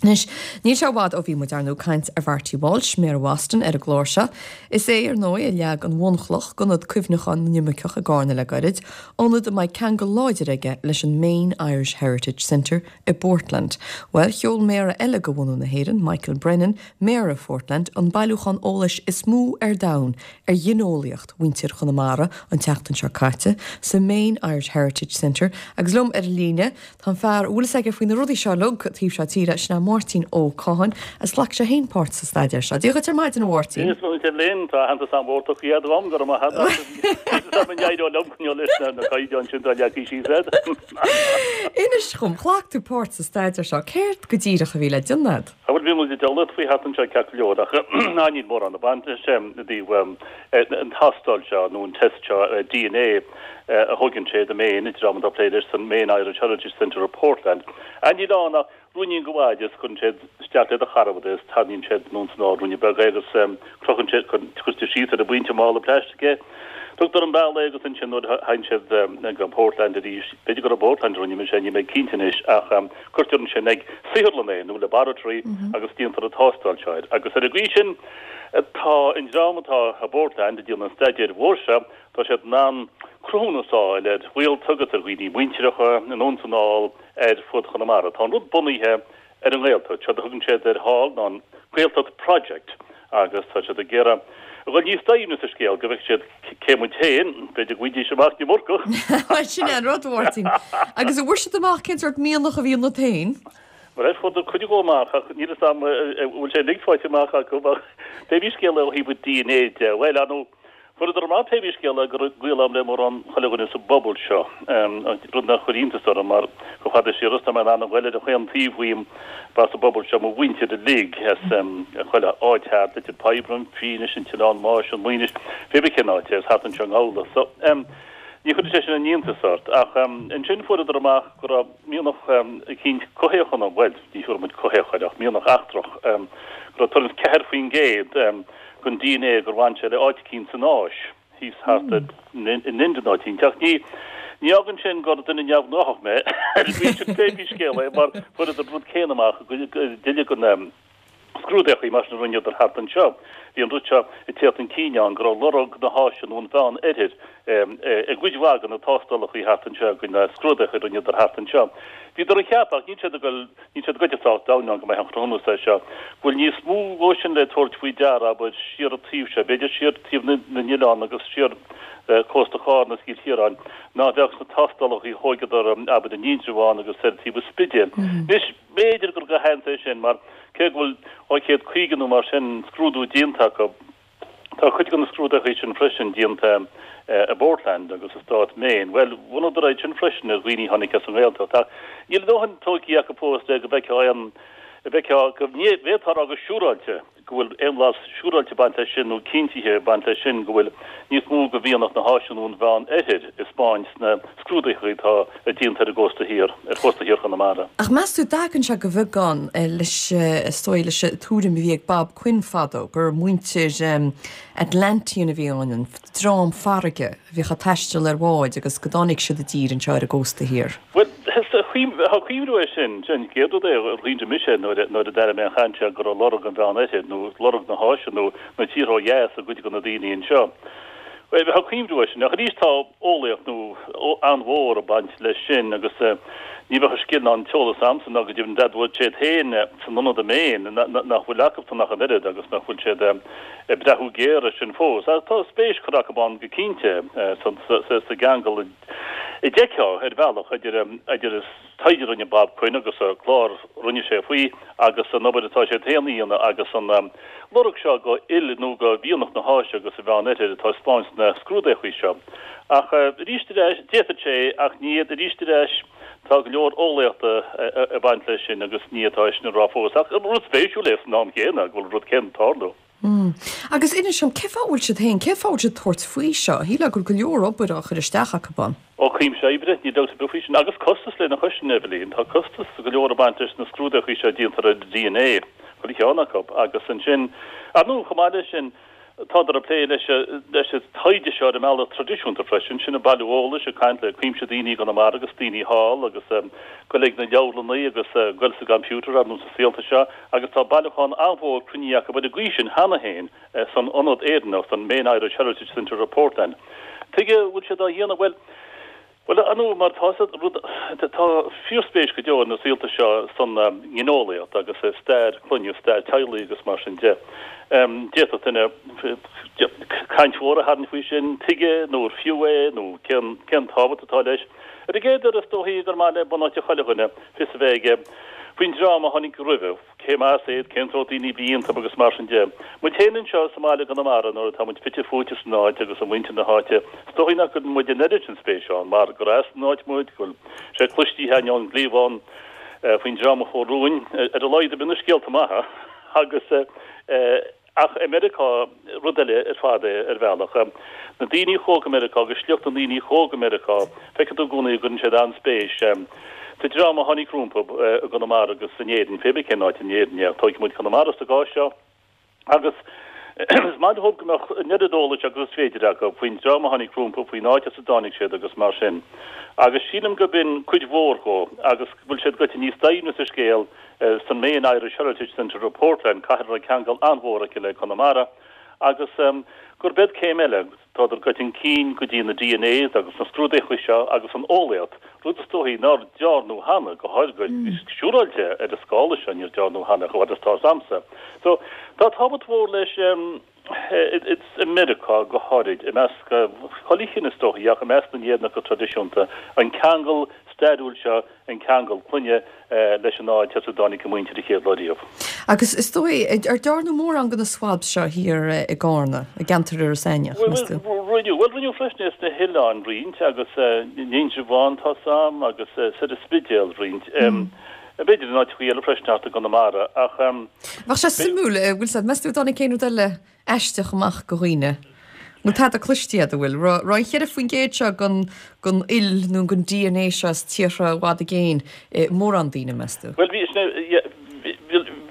Anois, níl sé i bhfad ó bhí muid, ar ndóigh, ag caint ar Mharty Walsh, Méara Bhoston, ar an gclár seo. Is é, ar ndóigh, a leag an bhunchloch d'Ionad Cuimhneacháin na nImirceach i gCarna le gairid, ionad a mbeidh ceangal láidir aige leis an Maine Irish Heritage Centre i bPortland. Bhuel, sheol Méara eile de bhunadh na hÉireann, Michael Brennan, Méara Phortland, an bailiúchán eolais is mó ar domhan ar ghineolaíocht mhuintir Chonamara an tseachtain seo caite, sa Maine Irish Heritage Centre, agus liom ar an líne, Tá an fear a bhfuil fhios aige faoi na rudaí seo uilig taobh seo tíre, sin é Máirtín Ó Catháin, agus ghlac sé féin páirt sa staidéar seo. Dia dhuit ar maidin, a Mháirtín. Dia duit Eibhlín, tá aitheantas an-mhór tugtha dhom, go raibh maith agat. Is dá n-éireodh liom coinneáil leis na caighdeáin sin atá leagtha síos agat. Inis dhom, ghlac tú páirt sa staidéar seo, céard go díreach a bhí le déanamh agat? Bhuel, bhí muid ag eolaíocht faoi thart anseo ceart go leor ach ná níl mórán ag baint leis i dtaobh an tástáil seo nó an test seo DNA a thóigeann siad i Maine, an dream atá ag plé leis san Maine Irish Heritage Centre i Portland. Níl ann ach ruainnín de mhaide is cuireann siad isteach le do charbad é is tarraingíonn siad anonn is anall ruainne beag é agus crochann siad, cuirtear síos ar an bpointe i mála plaistic é. Tugtar an bealach é agus ansin nuair a thagann siad go Portland arís, b'fhéidir gur i bPortland a rinne mise é, níl mé cinnte anois, ach cuirtear ansin ag saotharlann é nó laboratory agus déantar an tástáil seo air. Agus ar an gcaoi sin tá an dream atá i bPortland ag déanamh an staidéir mhóir seo, tá siad in ann cruthúnas a fháil ar ghaolta agus ar dhaoine muintireacha anonn is anall ar fud Chonamara. Tá an rud bunaithe ar an nGaeltacht. Séard a thugann siad air thall ná an Gaeltacht Project agus tá siad ag iarraidh a dhul níos doimhne sa scéal go bhfeicfidh siad cé muid féin, b'fhéidir go bhfaighidís amach an iomarca. Bhuel, sin é an rud, a Mháirtín. Agus an bhfuair siad amach cén sórt mianach a bhí ionat féin? Bhuel, fuaireadar cuid dhó amach ach níl fhios a'm an bhfuil sé uilig faighte amach acu ach pé bí scéal é ó thaobh DNA de, bhuel, ar ndóigh, Fuaireadar amach pé bí scéal é go raibh gaol a'm le mórán chuile dhuine sa bpobal seo, rud nár chuir iontas orm mar chomh fada siar is tá mé in ann a ghoil ar chaon taobh uaim ba as an bpobal seo mo mhuintir uilig as chuile áit thart, Leitir Peadhra, an Fínis, an tOileán Máis, an Mhaoinis, pé bí cén áit é, is thart anseo i nGabhla. So, ní chuirfeadh sé sin aon iontas ort. Ach ansin fuaireadar amach go raibh mianach eicínt coimhthíoch ionam, bhuel, ní thiúrfaidh muid coimhthíoch air ach mianach eachtrach, go raibh tuairim is 4% den dna gur bhain sé le áit eicínt san Áis, thíos thart in Ind nó áit eicínt. Ach ní ní fhágann sin gur duine neamhghnáthach mé, ar an gcaoi sin pé bí scéal é, mar fuaireadar an rud céanna amach i gcuid de na scrúdaíochaí mar sin a rinneadar thart anseo. Bhí an rud seo ag tíocht chun cinn ann go raibh lorg na hÁise nó an Mheán Oirthir i gcuid mhaith de na tástálachaí thart anseo, de na scrúdaíochaí a rinneadar thart anseo. Bhíodar ag ceapadh, ach níl siad ag dul Níl siad goite sách domhain ann go mbeidh an cruthúnas é seo go bhfuil níos mó dhó sin le tabhairt faoi deara, abair, siar an taobh seo, b'fhéidir siar taobh na n-oileán agus siar cósta Chárna is Chill Chiaráin, ná a bheadh sna tástálacha a thóigeadar, abair, in Indreabhán agus ar taobh an Spidéil. Anois, b'fhéidir gur de sheans é sin, mar cé go bhfuil 250 nó mar sin scrúdú déanta acu, Tá cuid de na scrúduithe sin freisin déanta i bPortland agus i stát Maine. Bhuel, bhunadar iad sin freisin ar dhaoine a tháinig as an nGaeltacht. Ach níl a ndóthain tóigthe acu fós le go bhfeicfeá aon, bhfeicfeá, go bhféadfá a rá go siúráilte go bhfuil aon bhlas siúráilte ag baint leis sin nó cinntithe ag baint leis sin go bhfuil níos mó de mhianach na hÁise nó an Mheán Oirthir ag 'spáint sna scrúduithe atá déanta ar an gcósta thiar, ar chósta thiar Chonamara. Ach meas tú, dtagann sé de bheagán leis, is dóigh, leis an tuairim a bhí ag Bob Quinn fadó, gur muintir Atlantean a bhí ann, an dream farraige a bhíodh ag taisteal ar bháid agus go dtáinig siad i dtír anseo ar an gcósta thiar. Bhuel, tá cuimhniú air sin. Sin an chéad rud é a chuimhnigh mise nuair a d'airigh mé an chaint seo go raibh lorg an Mheán Oirthir nó lorg na hÁise nó na tíortha ó dheas i gcuid de na daoine anseo. Bhuel, tá cuimhniú air sin. Ach arís tá eolaíocht nó an-mhór ag baint leis sin agus ní bheadh an scil ná an t-eolas a'msa ná go deimhin d'admhódh siad féin san ionad i Maine nach bhfuil acusan ach an oiread agus nach bhfuil siad ag breathú géar air sin fós. Ach tá spéis curtha acu ann go cinnte sa gceangal a d'fheicfeá ar bhealach idir idir taighde a rinne Bob Quinn agus an clár a rinne sé faoi agus an obair atá siad féin a dhéanamh agus an lorg seo de fhuil nó de mhianach na hÁise agus an Mheán Oirthir atá ag spáint sna scrúdaíochaí seo. Ach arís ar ais, d'fhéadfadh sé ach ní arís ar ais tá go leor eolaíochta ag baint leis sin agus ní fhéadfá é sin a rá fós. Ach rud spéisiúil é san am chéanna go bhfuil an rud céanna ag tarlú. Agus inis dom, cén fáth a bhfuil siad féin, cén fáth a bhfuil siad ag tabhairt faoi seo? Shílfeá go bhfuil go leor obair á chur isteach acu ann. Ó, cuimse oibre, níl dabht ar bith faoi sin. Agus costas lena chois sin, Eibhlín. Tá costas go leor ag baint leis na scrúdaíochaí seo a déantar ar DNA, chuile cheann acu. Agus ansin, ar ndóigh, chomh maith leis sin, Tádar ag plé leis leis an taighde seo ar an mbealach traidisiúnta freisin, sin ag bailiú eolais, ag caint le cuimse daoine i gConamara agus daoine thall agus ag goil ag na leabharlannaí agus ag goil sa gcomputer ar nós na saolta seo agus tá bailiúchán an-mhór cruinnithe acu ar an gcaoi sin cheana féin san Ionad Éireannach, san Maine Irish Heritage Centre i Portland. Tuige a bhfuil siad á dhéanamh? Bhuel, Bhuel, ar ndóigh, mar tá sa rud, tá fíorspéis go deo na saolta seo san ngineolaíocht agus i stair clainne, stair teaghlaigh agus mar sin de. D'fhéadfadh duine caint mhór a tharraingt faoi sin, tuige nó ar fiú é nó cén, cén tábhacht atá leis. Ar an gcéad uair is dóichí gur maith le bunáite chuile dhuine fios a bheith aige faoin dream a tháinig roimhe. cé más iad, cén sórt daoine a bhí iontu agus mar sin de. Muid féin anseo sa mbaile i gConamara nuair atá muid fite fuaite san áit agus i muintir na háite, is dóichí nach gcuireann muid an oiread sin spéise ann mar gur as an áit muid, go bhfuil sé cloistí againn ón gcliabhán faoin dream a chuaigh romhainn, ar a laghad bíonn na scéalta maithe agus Ach i Meiriceá, rud eile ar fad é ar bhealach. Na daoine a chuaigh go Meiriceá agus sliocht na ndaoine a chuaigh go Meiriceá, feicfidh tú i gcónaí go gcuireann siad an-spéis sa dream a tháinig rompu i gConamara agus in Éirinn, pé bith cén áit in Éirinn é, ach tógfaidh muid Conamara sa gcás seo. Agus is maith leo go mbeadh an oiread eolais agus is féidir acu faoin dream a tháinig rompu, faoin áit as a dtáinig siad agus mar sin. Agus sílim gurb in cuid mhór dhó agus go bhfuil siad goite níos doimhne sa scéal san Maine Irish Heritage Centre i Portland, cathair a raibh ceangal an-mhór aici le Conamara, agus gurb iad céim eile, tádar goite chun cinn go dtí na DNAs agus na scrúduithe seo agus an eolaíocht, rud is dóichí nár dearnadh cheana, go háirithe go siúráilte ar an scála seo, níor dearnadh cheana chomh fada is tá 'fhios a'msa. So, tá tábhacht mhór leis i Meiriceá go háirid, i measc chuile chine is dóichí, ach i measc na nÉireannach go traidisiúnta, an ceangal stairiúil seo, an ceangal clainne leis an áit as a dtáinig a muintir an chéad lá riamh. Agus is dóigh, ar dearnadh mórán de na swabs seo thiar i gCarna, i gceantar Iorras Aithneach, meas tú? Bhuel, rinneadh, bhuel, rinneadh freisin é sna hoileáin roinnt agus in Indreabhán, tá 'fhios a'm, agus soir an Spidéal roinnt. B'fhéidir in áiteachaí eile freisin thart i gConamara, ach. Bheadh sé suimiúil, bhfuil 's a'd, meas tú an dtáinig aon rud eile aisteach amach go dhaoine? Bhfuil tada cloiste agat, an bhfuil? Raibh an 4% seo den, den fhuil nó den DNA seo as tíortha i bhfad i gcéin i mórán daoine, meas tú? Bhuel, bhí, sin é, yeah,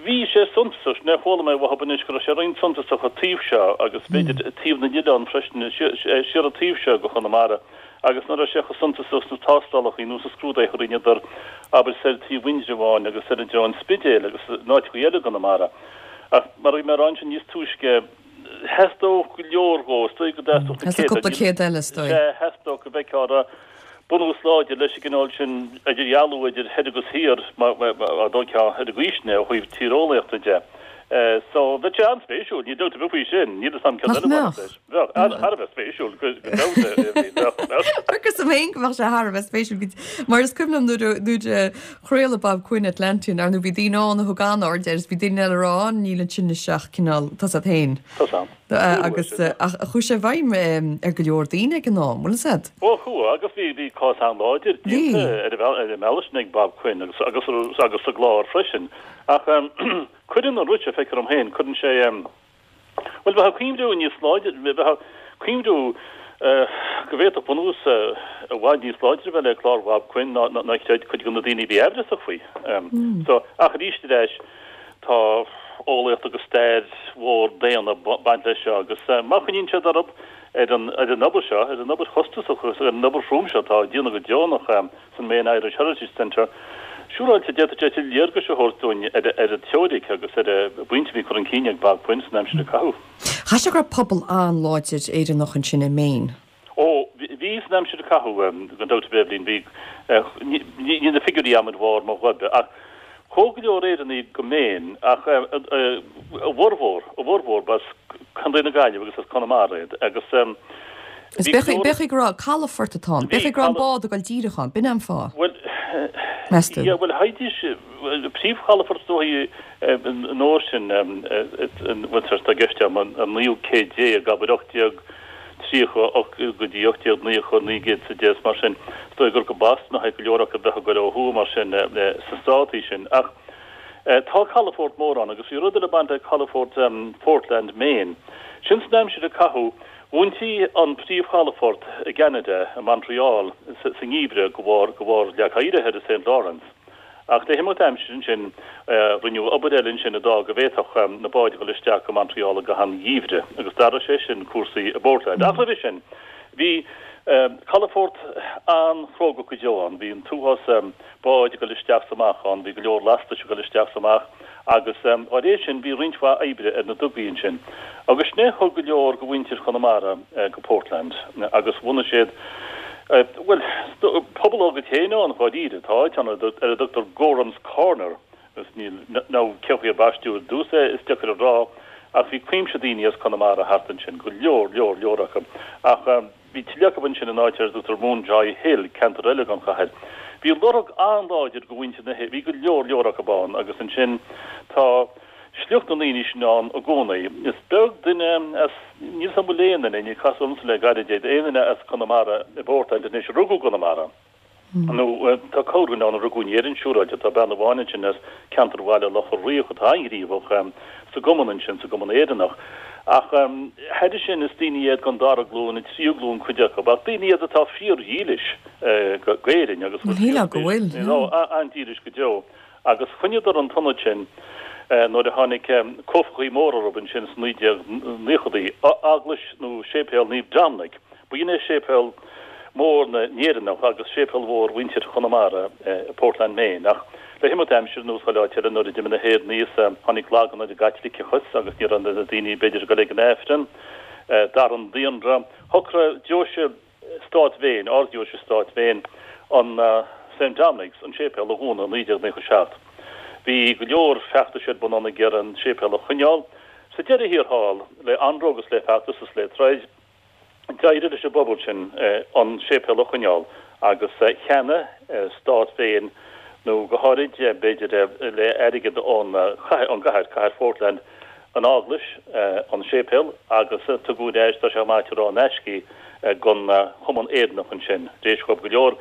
bhí sé suntasach, sin é, chuala mé uathub anois go raibh sé roinnt suntasach an taobh seo agus b'fhéidir taobh na n-oileán freisin, siar an taobh seo go Chonamara. agus nach raibh sé chomh suntasach sna tástálacha nó sna scrúduithe a rinneadar, abair, soir taobh Indreabháin agus soir i dtreo an Spidéil agus in áiteacha eile i gConamara. Ach mar a bhí mé a rá ansin níos túisce, theastódh go leor dhó, is dóigh go dteastódh na céadta. Cúpla céad eile, is dóigh. Sea, theastódh go bhfeicfeá an raibh bunús láidir leis an gcineál sin idirdhealú idir thoir agus thiar, mar a dóigh ar an gcaoi sin é ó thaobh tíreolaíochta de. So, bheadh sé an-spéisiúil, níl dabht ar bith faoi sin, níl 'fhios a'm céard eile a bhainfeadh leis. Bheadh, thar a bheith spéisiúil go deimhin. Agus am féin go mbeadh sé thar a bheith spéisiúil mar is cuimhin liom nuair a nuair a chraoladh Bob Quinn Atlantean ar ndóigh bhí daoine ann a thug an-aird air is bhí daoine eile ag rá á níl ansin ach cineál tá 's a'd féin. Tá 's a'm. Agus ach chuaigh sé i bhfeidhm ar go leor daoine ag an am, bhfuil 's a'd? Ó chuaigh agus bhí bhí cás an-láidir déanta ar an mbealach sin ag Bob Quinn agus agus agus sa gclár freisin ach cuireann an rud seo feictear dom féin cuireann sé Bhuel, bheadh cuimhniú níos láidre, bheadh cuimhniú go bhféadfadh bunús i bhfad níos láidre a bheith le clár Bhob Quinn ná ná chreid cuid de na daoine a bhí aimhreasach faoi. So, ach arís ar ais, tá eolaíocht agus stair mhór daonna ag baint leis seo agus má choinníonn siad orthu ar an ar an obair seo, ar an obair chostasach agus ar an obair throm seo atá á déanamh go deonach, san Maine Irish Heritage Centre, siúráilte d'fhéadfadh sé tuilleadh léargais a thabhairt dúinn ar an teoiric agus ar an bpointe a bhí curtha chun cinn ag Bob Quinn san aimsir a caitheadh. Chaithfeadh sé go raibh pobal an-láidir Éireannach ansin i Maine. Ó, bhí san aimsir a caitheadh, gan dabht ar bith, Eibhlín, bhí, níl na figiúirí a'm ar bharr mo ghoib, ach chuaigh go leor Éireannaigh go Maine ach a bhformhór, a bhformhór b'as Contae na Gaillimhe agus as Conamara iad agus Is b'fhéidir go raibh calafort atá ann, b'fhéidir go raibh an bád ag dul díreach ann, b'in é an fáth, Bhuel, meas tú? yeah, bhuel, théidís, príomhchalafort is dóichí an uair sin, bhuel, tá i gceist agam an naoú céad déag, abair 1830 go dtí 1890, 1910 is mar sin, is dóigh gur go Boston a théadh go leor acu a bheadh ag dul ó thuaidh mar sin sna státaí sin. Ach tá calafort mór ann agus bhí rud eile ag baint le calafort Portland, Maine. Sin san aimsir a caitheadh. Dhúintí an príomhchalafort i gCeanada, i Montreal, sa ngeimhreadh de bharr de bharr leac oighir thoir i Saint Lawrence. Ach le himeacht aimsire ansin, rinneadh obair eile ansin a d'fhág go bhféadfadh na báid a dhul isteach go Montreal i gcaitheamh an gheimhridh, agus d'athraigh sé sin cúrsaí i bPortland. Ach roimhe sin, bhí calafort an-chróga go deo ann. Bhí an t-uafás báid ag dul isteach 's amach ann, bhí go leor lastais ag dul isteach 's amach, agus dá réir sin bhí roinnt mhaith oibre ar na dugaí ansin. Agus sin é a thug go leor de mhuintir Chonamara go Portland, agus bhunaigh siad, bhuel, pobal dá gcuid féin ann, dháiríre. Tá áit ann ar a dtugtar Gorham's Corner, agus níl, nó cén chaoi ar baisteadh ar dtús é, is deacair a rá, ach bhí cuimse daoine as Conamara thart ansin, go leor, leor, leor acu. Ach. Bhí tuilleadh acu ansin in áit ar a dtugtar Munjoy Hill, ceantar eile den chathair. Bhí lorg an-láidir de mhuintir na h-, bhí go leor leor acu ann agus ansin tá sliocht na ndaoine sin ann i gcónaí. Is beag duine as, níl 's agam an bhfuil aon duine, níor casadh ormsa le gairid é, aon duine as Conamara i bPortland anois a rugadh i gConamara. Nó tá corrdhuine ann a rugadh in Éirinn, siúráilte. Tá bean amháin ansin as ceantar Bhaile Locha Riach atá an-ghníomhach sa gcumann ansin, sa gCumann Éireannach. Ach thairis sin, is daoine iad den dara glúin, an tríú glúin cuid acu, ach daoine iad atá fíordhílis d'Éirinn agus an-dílis go deo. Agus choinníodar an t-ionad sin nuair a tháinig cuaifeachaí móra orthu ansin sna 1990idí, Eaglais nó Séipéal Naomh Dominic. Ba shin é séipéal mór na nÉireannach agus séipéal mhór mhuintir Chonamara i Portland, Maine. Ach le himeacht aimsire, ar nós chuile áit eile, nuair a d'imigh na hÉireannaigh is tháinig lagan ar an gCaitliceachas agus ní raibh na daoine b'fhéidir ag dul ag an Aifreann, d'athraigh an daonra. Shocraigh deoise Stát Mhéin, Ard-Deoise Stát Mhéin, an St Dominic's, an séipéal a dhúnadh i 1997. Bhí go leor feachtais ar bun ann ag iarraidh an séipéal a choinneáil. Sa deireadh thiar thall, le anró agus le feachtas is le troid, D'éirigh leis an bpobal sin an séipéal a choinneáil agus cheannaigh Stát Mhéin, nó go háirid b'fhéidir le airgead ón gcathair, cathair Phortland, an eaglais, an séipéal agus tugadh ar ais, tá sé maith a rá, in aisce í don Chumann Éireannach ansin, tar éis dhóibh go leor,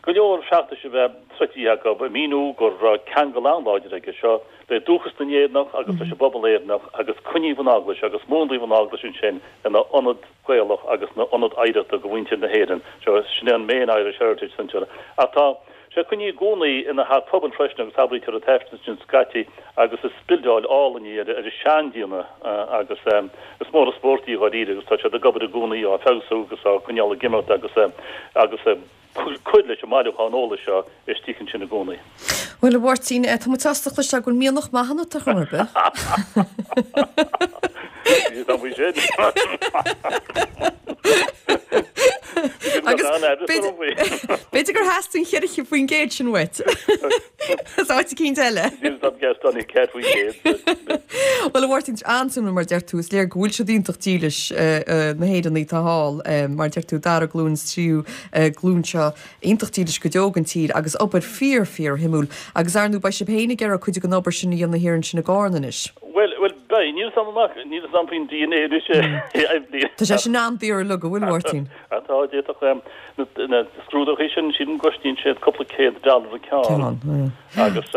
go leor feachtais a bheith troidte acu ag míniú go raibh ceangal an-láidir aige seo le dúchas na nÉireannach agus leis an bpobal Éireannach agus coinníodh an eaglais agus múnlaíodh an eaglais ansin ina ionad Gaelach agus ina ionad oidhreachta do mhuintir na hÉireann. Seo, sin é an Maine Irish Heritage Centre. Ach tá sé coinnithe i gcónaí ina theach pobail freisin agus abraítear an t-aifreann ansin scaití agus is bildeáil álainn í ar an seandéanamh agus is mór an spórt í dháiríre agus tá siad ag obair i gcónaí á feabhsú agus á coinneáil ag imeacht agus agus cur leis an mbailiúchán eolais seo istigh ansin i gcónaí. Bhuel, a Mháirtín, tá muid sásta cloisteáil go bhfuil mianach maith ionat ar chor ar bith. Tá faoi sin. Agus b'fhéidir gur theastaigh an 4% sin uait. As áit eicínt eile. Bhuel, a Mháirtín, an-suimiúil mar a deir tú, is léir go bhfuil siad iontach dílis na hÉireannaigh atá thall, mar a deir tú, dara glúin is tríú glúin seo iontach dílis go deo don tír agus obair fíor, fíor shuimiúil. Agus ar ndú beidh sibh féin ag iarraidh cuid den obair sin a dhéanamh thiar ansin i gCarna anois. Bhuel, bhuel, beidh. Níl 'fhios a'm amach, níl 'fhios a'm faoin DNA anois, a Eibhlín. Tá sé sin an-daor uilig, an bhfuil, a Mháirtín? Tá, d'fhéadfadh na, na scrúduithe sin, sílim go gcosnaíonn siad cúpla céad dollar an ceann. Ceann, Agus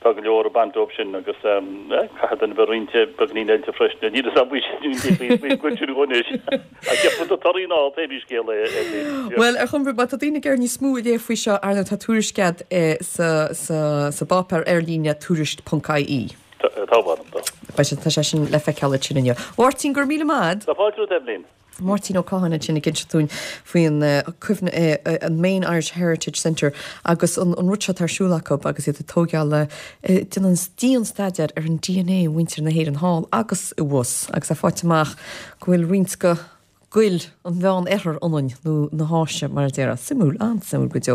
tá go leor ag baint dóibh sin agus caithfidh duine bheith roinnte beagainín oilte freisin. Níl 'fhios a'm faoi sin, faoin gcuid sin anois. Ach gheobhaidh tú torthaí ná pé scéal é, a Eibhlín. Bhuel, ar chuma ar bith, má tá daoine ag iarraidh níos mó a léamh faoi seo, ar ndóigh, tá tuairisc agat sa, sa, sa bpáipéar ar líne tuairisc ponc ie. Tá, tá, tá. Beidh sé, tá sé sin le feiceáil ansin inniu. Mháirtín, go raibh míle maith agat. Tá fáilte romhat, Eibhlín. Máirtín Ó Catháin ansin ag inse dúinn faoin cuimhne, an Maine Irish Heritage Centre agus an rud seo atá ar siúl acu agus iad ag tóigeáil, déanamh dian-staidéar ar an DNA mhuintir na hÉireann thall agus i bhfus agus é faighte amach go bhfuil roinnt de ghual an Mheán Oirthir ionainn, nó na hÁise mar a déarfá. Suimiúil, an-suimiúil go deo.